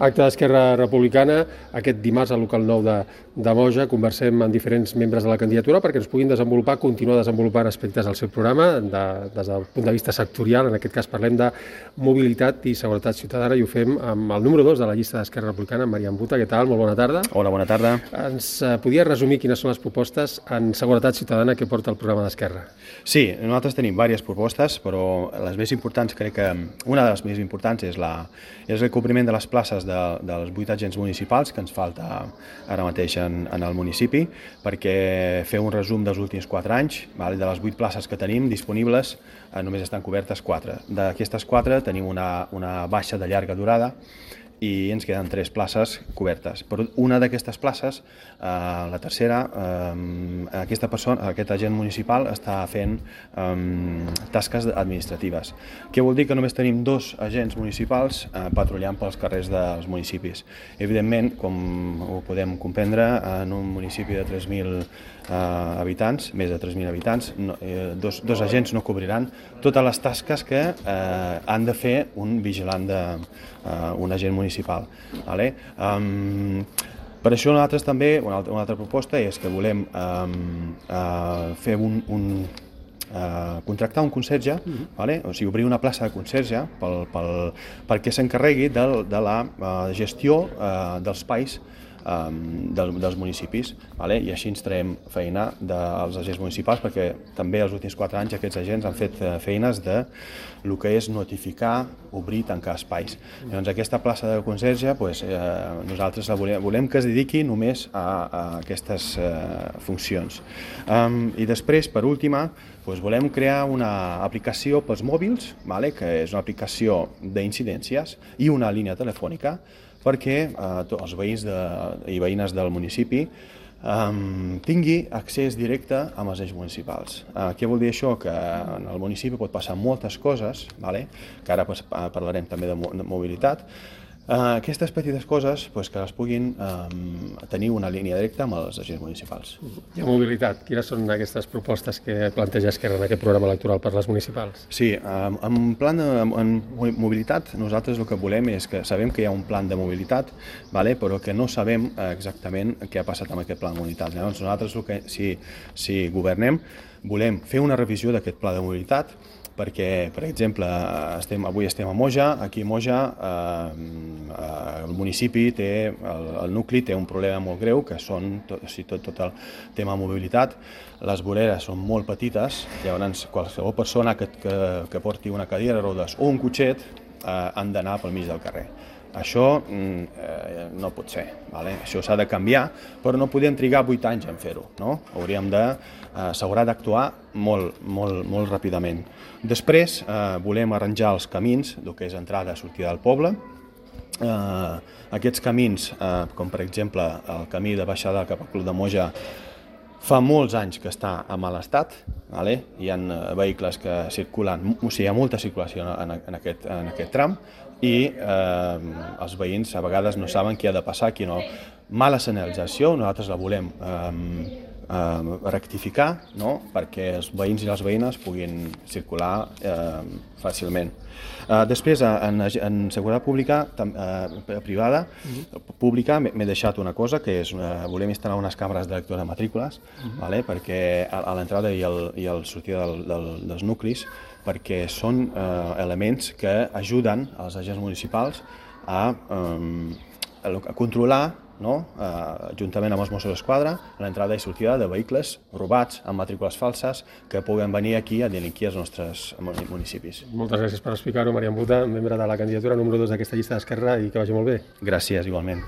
Acte d'Esquerra Republicana, aquest dimarts al local 9 de Moja. Conversem amb diferents membres de la candidatura perquè ens puguin continuar desenvolupant aspectes del seu programa des del punt de vista sectorial. En aquest cas parlem de mobilitat i seguretat ciutadana i ho fem amb el número 2 de la llista d'Esquerra Republicana, Marian Buta. Què tal? Molt bona tarda. Hola, bona tarda. Ens podia resumir quines són les propostes en seguretat ciutadana que porta el programa d'Esquerra? Sí, nosaltres tenim diverses propostes, però les més importants, crec que una de les més importants és el cobriment de les places dels 8 agents municipals que ens falta ara mateix en el municipi, perquè fer un resum dels últims 4 anys, de les 8 places que tenim disponibles, només estan cobertes 4. D'aquestes 4 tenim una baixa de llarga durada i ens queden 3 places cobertes. Però una d'aquestes places, la tercera, aquest agent municipal està fent tasques administratives. Què vol dir? Que només tenim 2 agents municipals patrullant pels carrers dels municipis. Evidentment, com ho podem comprendre, en un municipi de 3.000 habitants, més de 3.000 habitants, dos agents no cobriran totes les tasques que han de fer un vigilant un agent municipal. Per això nosaltres també, una altra proposta és que volem fer contractar un conserge, o sigui, obrir una plaça de conserge perquè s'encarregui de la gestió dels espais dels municipis, i així ens traiem feina dels agents municipals, perquè també els últims 4 anys aquests agents han fet feines de el que és notificar, obrir i tancar espais. Llavors aquesta plaça de conserge nosaltres volem que es dediqui només a aquestes funcions. I després, per última, volem crear una aplicació pels mòbils, que és una aplicació d'incidències i una línia telefònica perquè els veïns i veïnes del municipi tingui accés directe amb els agents municipals. Què vol dir això? Que en el municipi pot passar moltes coses, que ara parlarem també de mobilitat. Aquestes petites coses que les puguin tenir una línia directa amb els agents municipals. I a mobilitat, quines són aquestes propostes que planteja Esquerra en aquest programa electoral per les municipals? Sí, en mobilitat nosaltres el que volem és que sabem que hi ha un plan de mobilitat, però que no sabem exactament què ha passat amb aquest pla de mobilitat. Llavors nosaltres, si governem, volem fer una revisió d'aquest pla de mobilitat, perquè, per exemple, avui estem a Moja. Aquí a Moja el municipi el nucli té un problema molt greu, que són tot el tema de mobilitat. Les voreres són molt petites, llavors qualsevol persona que porti una cadira de rodes o un cotxet han d'anar pel mig del carrer. Això no pot ser, això s'ha de canviar, però no podem trigar 8 anys en fer-ho, s'haurà d'actuar molt ràpidament. Després volem arranjar els camins, el que és entrada i sortida del poble. Aquests camins, com per exemple el camí de baixada cap al Club de Moja, fa molts anys que està en mal estat, hi ha vehicles que circulen, o sigui, hi ha molta circulació en aquest tram i els veïns a vegades no saben què ha de passar, què no. Mala senyalització, nosaltres la volem rectificar, perquè els veïns i les veïnes puguin circular fàcilment. Després, en seguretat privada, m'he deixat una cosa, que és volem instal·lar unes càmeres de lectura de matrícules, perquè a l'entrada i a la sortida dels nuclis, perquè són elements que ajuden als agents municipals a controlar, juntament amb els Mossos d'Esquadra, l'entrada i sortida de vehicles robats amb matrícules falses que puguen venir aquí a delinquir als nostres municipis. Moltes gràcies per explicar-ho, Marian Buta, membre de la candidatura número 2 d'aquesta llista d'Esquerra, i que vagi molt bé. Gràcies, igualment.